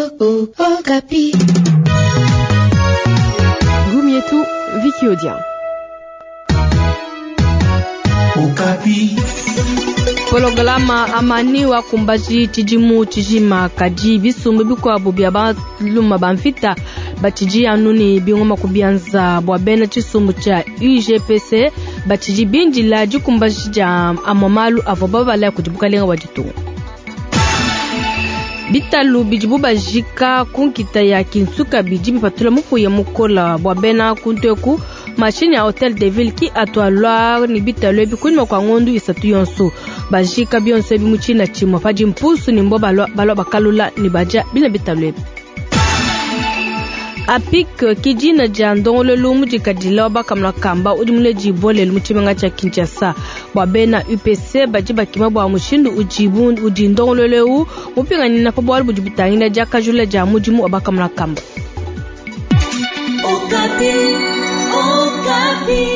Okapi. Gumietu, Vicky Odia. Okapi. Pologalama amani wakumbaji tshidimu tshijima kadi bisumbu bikuabu bia baluma ba mvita batshidi anu ne bingoma ku bianza bua bena tshisumbu tshia UGPC batshidi bindila dikumbaji dia amua malu avua babala kudi bukalenga bua ditunga. Bitalu bidibu bajika ku nkita ya Kinsuka bidi bipatula mupuya mukola bua bena kuntu eku. Mashinyi ya Hotel de Ville ki atualua ne bitalu ebi kunyima kua ngondu isatu yonso bajika bionso ebi mu tshina tshimue padi mpusu ne mbo balua balua bakalula ne badia bina bitalu ebi. APIC ki dina dia ndongoluelu mudikadila wa bakamuna kamba udi muledibua lelu mu tshimenga tshia Kinshasa bua bena UPC badi bakima bua mushindu udibu udi ndongoluelu eu mupinganyina pa bualu budi butangila diakajula dia mudimu wa bakamuna kamba. Okapi, Okapi.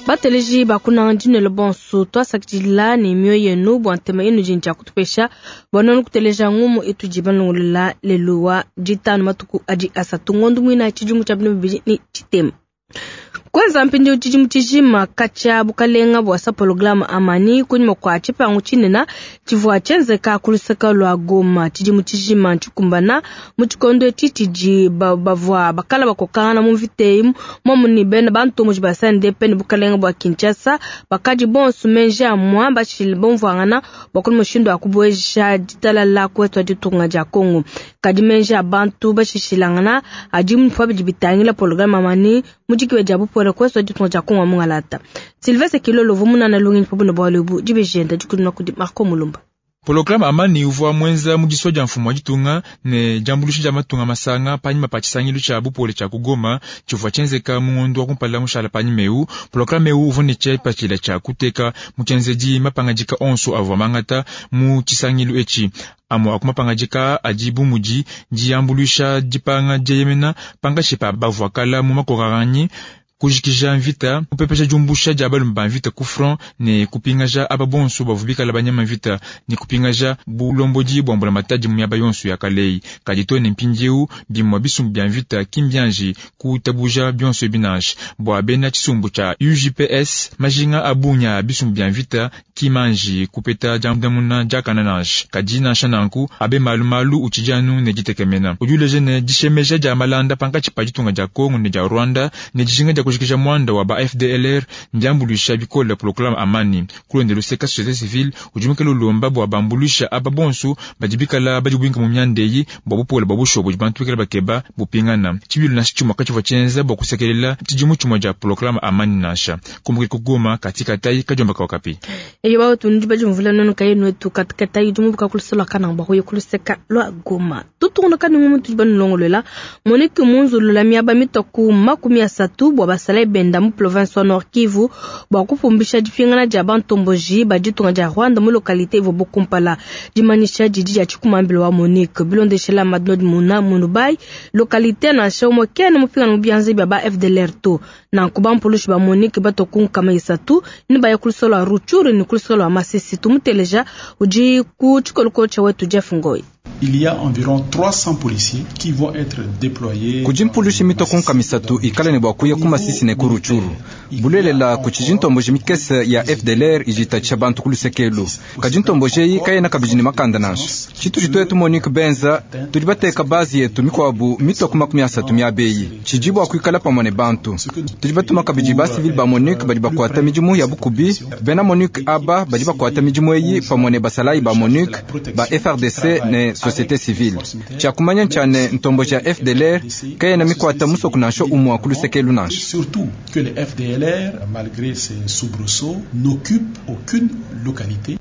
Bateleji bakunanga dinelo bonso twasakidila ne mioyo yenu bua ntema yenu dini tshia kutupesha bua nuenu kuteleja ngumu itudi balongolola lelu wa ditanu matuku adi asatu ngondo muina tshidimu tshia bino bibidi ne tshitema. Kwenza mpindieu tshidimu tshijima katshia bukalenga bua sa pologalama amani kunyima kua tshipangu tshinene tshivua tshienzeka ku luseke lua Goma. Tshidimu tshijima tshikumbana mu tshikondo etshi tshidi bavua bakala bakokangana mu mvita eyi momu ne bena bantomboji ba CNDP ne bukalenga bua Kinshasa bakadi bonso menji amua bashile bomvuangana bua kuli mushindu wa kubueja ditalala ku wetu wa ditunga dia Congo. Kadi menji a bantu bashishilangana adi mu bidi bitangila pologalama amani mu dikiwe dia bupole ku wetu wa ditunga dia Congo mungalata. Sylvestre Kilolo vumunana lungenyi pa bualu ebu dibejenda dikudina kudi Marco Mulumba. Pologalama amani uvua mwenza mu disua dia mfumu wa ditunga ne diambuluisha dia matunga masanga panyima pa tshisangilu tshia bupole tshia ku Goma tshivua tshienzeka mu ngondo wa kumpala mushala panyima eu. Pologalama eu uvua ne tshipatshila tshia kuteka mu tshienzedi mapangadika onso avua mangata mu tshisangilu etshi. Amue a ku mapangadika adi bu mudi diambuluisha dipanga dieyemena pankatshi pa bavua kala mu makokanganyi, kujikija mvita, kupepesha diumbusha dia balume ba mvita ku front ne kupingaja aba bonso bavua bikala banyama mvita ne kupingaja bulombodi bua mbulamatadi mu miaba yonso ya kaleyi. Kadi to ne mpindieu bimue bisumbu bia mvita ki mbianji kutabuja bionso ebi nansha. Bua bena tshisumbu tshia UJPS majinga a bungi a bisumbu bia mvita ki manji kupeta diandamuna diakana nansha. Kadi nansha nanku abe malu utshidi anu ne ditekemena. Udi uleja ne dishemeja dia malanda pankatshi pa ditunga dia Congo ne dia Rwanda ne dijinga dia kujikija mwanda wa ba FDLR ndiambuluisha bikole pologalama amani. Kulonde luseka société civile udi mukele ulomba bua bambuluisha aba bonso badi bikala badi bwinka mu mianda eyi bua bupole bua bushuwa budi bantu bikala bakeba bupingana. Tshibilu nansha tshimue katshivua tshienza bua kusekelela tshidimu tshimue dia pologalama amani nansha. Kumbuki ku Goma katika tai kadiomba ka Okapi. Eyo bato ndi badi mvula nono kaye nwetu katika tai di mubuka kulusela kana bua kuya kuluseka lua Goma. Tutungunuka ne ngumu tudi banulongolola Monique munzulula miaba mitoku 30 bua basala benda mu province wa Nord Kivu bua kupumbisha dipingana dia bantomboji ba ditunga dia Rwanda mu localité ivua bukumpala. Dimanyisha didi dia tshikumambilo wa Monique bilondeshela Madnod Muna Munubai localité nansha umue kene mupingana mu bianza bia ba FDLR to. Nanku bampulushi ba Monique batoku 30 ni baya kulusela lua Rutshuru ni kulusela lua Masisi. Tumuteleja udi ku tshikolokolo tshia wetu Jeff Ngoi. Il y a environ 300 policiers qui vont être déployés. Kudi mpulushi mitoko 300 ikala ne bua kuya ku Masisi ne ku Rutshuru. Bulelela kutshidi ntomboji mikese ya FDLR idi itatshisha bantu ku lusekelu. Kadi ntomboji eyi kayena kabidi ne makanda nansha. Tshitudi tuetu Monique Benza tudi bateka base yetu mikuabu mitoko 30 miaba eyi. Tshidi bua kuikala pamue ne bantu. Tudi batuma kabidi ba civil ba Monique badi bakuata midimu ya bukubi. Bena Monique aba badi bakuata midimu eyi pamue ne basalayi ba Monique ba FARDC ne société civile. Tshia kumanya ntshia ntomboji ya FDLR kayena mikuata musoko nansha umue ku lusekelu nansha. Surtout que les FDLR, malgré ces soubresauts, n'occupent aucune localité.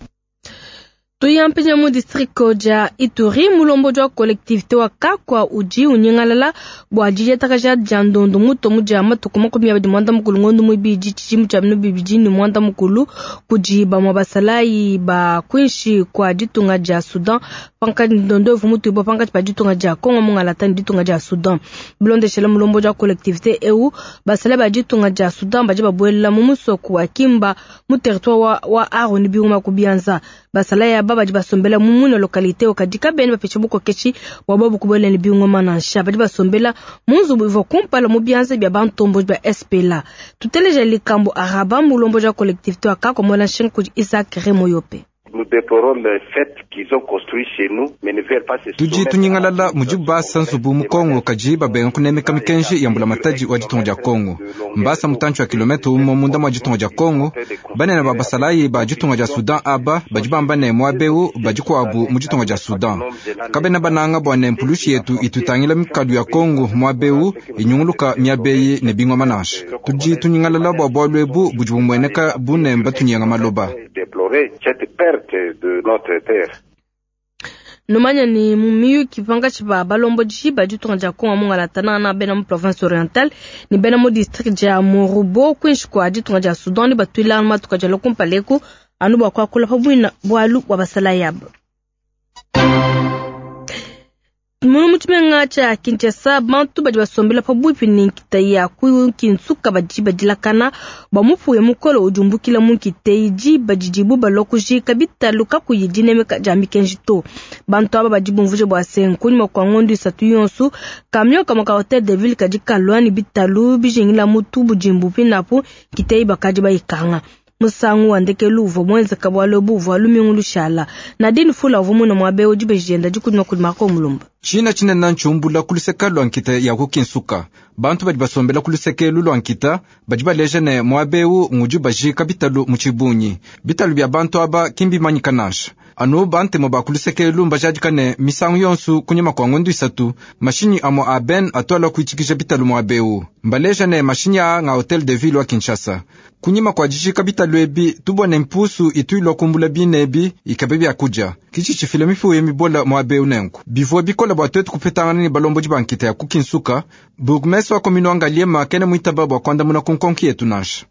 Tuyampenya mu district dia Ituri mulombodi wa collectivité wa Kakwa udi unyingalala bua didiatakaja dia ndondo muto mu dia matuku 29 ngondo muibidi tshidimu tshia bino bibidi ne mwanda mukulu kudi bamue basalayi ba kwinshi kua ditunga dia Sudan pankatshi ndondo evu mutuibua pankatshi pa ditunga dia Congo mungalata ne ditunga dia Sudan. Bilondeshela mulombodi wa collectivité eu basalayi ba ditunga dia Sudan badi babuelela mu musoko wa Kimba mu territoire wa Aro ne bingoma ku bianza. Basalayi aba badi basombela mu muine localite eu, kadi kabena bapesha bukokeshi bua bobu kubuela ne bingoma nansha. Badi basombela mu nzubu ivua kumpala mu bianza bia bantomboji ba SPLA. Tuteleja Likambo Araba, mulombodi wa collectivité wa Kakwa muela nshinga kudi Isaac Remoyope. Tudi tunyingalala mudibu basa nzubu mu Kongo kadi babenga kunemeka mikenji ya mbulamatadi wa ditunga dia Kongo. Mbasa mutantshi wa kilometre umue munda mua ditunga dia Kongo. Banene ba basalayi ba ditunga dia Sudan aba badi bamba ne muaba eu badi kuabu mu ditunga dia Sudan. Kabena bananga bua ne mpulushi yetu itutangila mikalu ya Kongo muaba eu inyunguluka miaba eyi ne bingoma nansha. Tudi tunyingalala bua bualu ebu budi bumueneka bu ne mbatunyenga maloba. Numanya ni mu miyuki pankatshi pa balombodi ba ditunga dia Kongo mungala na bena mu province orientale ni bena mu district dia Morobo kuinshi kua ditunga dia Sudan ni batuila matuka dia lokumpaleku anu bua kuakula pa buina bualu bua basalayi aba. Munu mu tshimenga tshia Kinshasa, bantu badi basombela pabuipi ne nkita ya ku Kinsuka badi badilakana bua mupuya mukole udi umbukila mu nkita eyi diba didibu balua kujika bitalu kakuyi dinemeka dia mikenji to. Bantu aba badi bumvuija bua se kunyima kua ngondo isatu yonso, camion kamue ka hotel de ville kadi kalua ne bitalu bijingila mutu budimbu pinapu nkita eyi bakadi bayikanga. Musangu wa ndekelu uvua muenzeka bualu ebu uvua lumingu lushala. Nadine Fula uvua muine muaba eu dibeji dienda dikudima kudi Marco Mulumba. Tshina tshinene ntshiumbula ku luseke lua nkita ya ku Kinsuka. Bantu badi basombela ku luseke elu lua nkita badi baleja ne muaba eu ngudi bajika bitalu mu tshibungi. Bitalu bia bantu aba ki mbimanyika nansha. Anu bantemu ba ku luseke elu mbajadika ne misangu yonso kunyima kua ngondo isatu mashinyi amue a ben atuala kuitshikija bitalu muaba eu. Mbaleja ne mashinyi aa nga hotel de ville wa Kinshasa. Kunyima kua dijika bitalu ebi tubone mpusu itu ilua kumbula bine ebi ikabe bia kudia. Kitshi tshifila mifuya mibola muaba eu nenku. Bivua bikola bua tuetu kupetangana ne balombodi ba nkita ya ku Kinsuka, bourgmestre wa commune wa Ngaliema kena muitaba bua kuandamuna ku nkonko yetu nansha.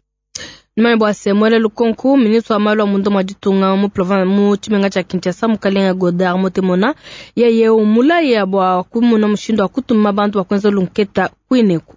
Numanye bua se muele lukonko ministre wa malu a munda mua ditunga mu province mu tshimenga tshia Kinshasa mukalenga Godard Motemona yeye umulaya bua kumuna mushindu wa kutuma bantu ba kuenza lunketa kuineku.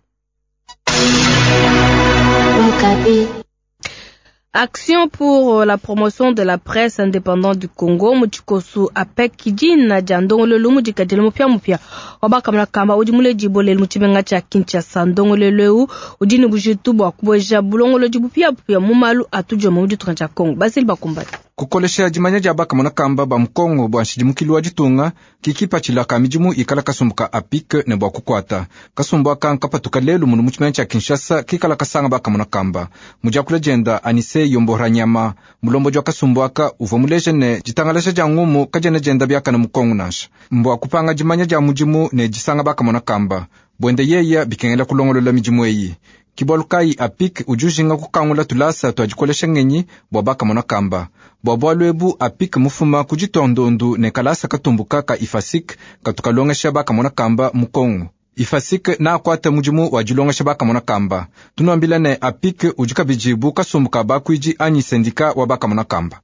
Action pour la promotion de la presse indépendante du Congo mu tshikosu APEC dina dia ndongoluelu mudikadile mupiamupia wa bakamona kamba udi muledibue lelu mu tshimenga tshia Kinshasa. Ndongoluelu eu udi ne bujitu bua kubueja bulongolodi bupiabupia mu malu a tudiomba mu ditunga dia Congo. Basili bakumbane. Kukolesha dimanya dia bakamona kamba ba mu Kongo bua nshidimukilu wa ditunga kikipatshila ka midimu ikala kasumbu ka APIC ne bua kukuata. Kasumbu aka nkapatuka lelu munu mu tshimenga tshia Kinshasa kikala kasanga bakamona kamba. Mu diakula dienda Anise Yomboranyama mulombodi wa kasumbu aka uvua muleja ne ditangalasha dia ngumu kadiena dienda biakana mu Kongo nansha. Mbua kupanga dimanya dia mudimu ne disanga bakamona kamba. Bwende yeya bikengela kulongolola midimu eyi. Kibualu kayi APIC udi ujinga kukangula tulasa tua dikolesha ngenyi bua bakamona kamba. Bua bualu ebu APIC mufuma ku ditondondu ne kalasa katumbuka ka IFASIC katukalongesha bakamona kamba mu Kongo. IFASIC na akuata mudimu wa dilongesha bakamona kamba. Tunuambila ne APIC udi kabidi bu kasumbu ka bakuidi anyi sendika wa bakamona kamba.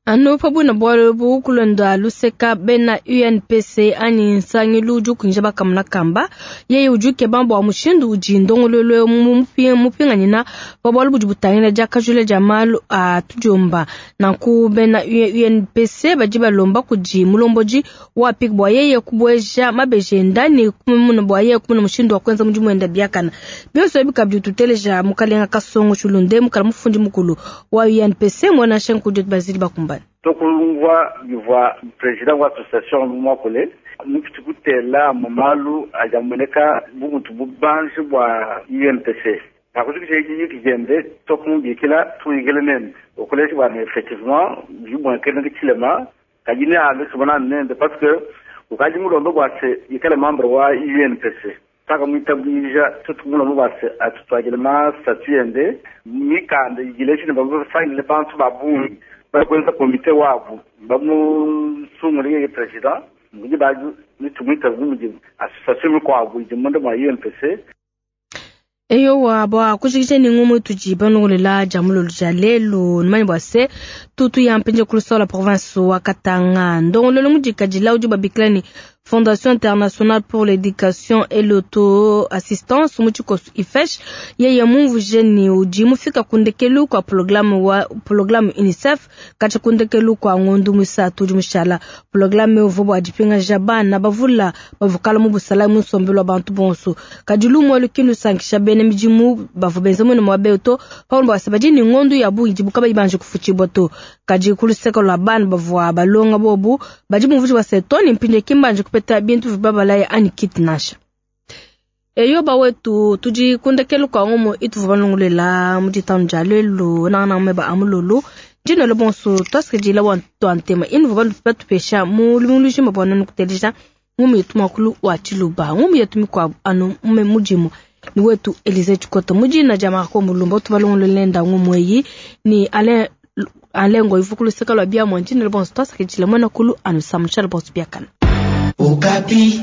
Anu pabuna bualu ebu kulonda luseka bena UNPC anyi nsangilu udi ukunja bakamona kamba yeye udi ukeba bua mushindu udi ndongoluelu mupinganyina pa bualu budi butangila diakajula dia malu a tudiomba. Nanku bena UNPC badi balomba kudi mulombodi wa APIC bua yeye kubueja mabeji enda ne kumuna bua yeye kumuna mushindu wa kuenza mudimu wenda biakana. Bionso ebi kabidi tuteleja mukalenga Kasongo Chulunde mukala mufundi mukulu wa UNPC mwana shenku Diot Basile Bakumba. Tokulungwa bivua president wa association mwakule mukutikutela mumalu ajamuneka bumuntu bubanji bwa UNPC akuzikisha yiki jende tokumubikila tuyigile nende okulesha bwana effectivement bibonekene kichilema kajini alo sibona nende parce que ukaji mulombe bwase ikale membre wa UNPC taka mwitabwija tutumulombe bwase atutwagile ma statut yende mikanda igileshine babasainile bantu babungi bakwenza komite wabo bamusungule yeye president mudi baju nitumwita bumudi association mikwabo idi munda mwa UNPC. Eyowa bua kushikisha ni ngumu tudi banongolela dia mulolo dia lelu numanye bua se tutu ya mpenje kulusola province wa Katanga ndongololo mudikadila udi babikila ni Fondation Internationale pour l'Education et l'Auto-Assistance mu tshikosu IFESH yeye mumvuje ni udi mufika kundekelu kwa programu wa programu UNICEF kacha kundekelu kwa ngondu musatu udi mushala programu uvua bua dipingaja bana bavula bavukala mu busala mu nsombelu wa bantu bonso kadi lumue lukindu sankisha bene midimu bavua benza mwene mwa beto paulo bwase badi ni ngondu ya bungi dibuka bayibanje kufuchibwa to kadi kuluseka lwa bana bavua balonga bobu badi mumvuji wa setoni mpinde kimbanje kupeta bintu vibabalaya ani kiti nasha eyo bawetu tudi kundekelu kwa ngomo ituvu balongolela muditanu dia lelu nangana meba amululu ndino le bonso twasikidila wa twantema inu batupesha mu lumulushima bwa nanu kutelesha ngumu yetu makulu wa chiluba ngumu yetu mikwabu anu mume mudimu ni wetu Elize Chikota mujina dia Marco Mulumba tubalongololenda ngumu eyi ni Alain Alain Ngoivu kuluseka lwa bia mwa ndino le bonso twasikidila mwana kulu anu samusha le bonso biakana. Okapi.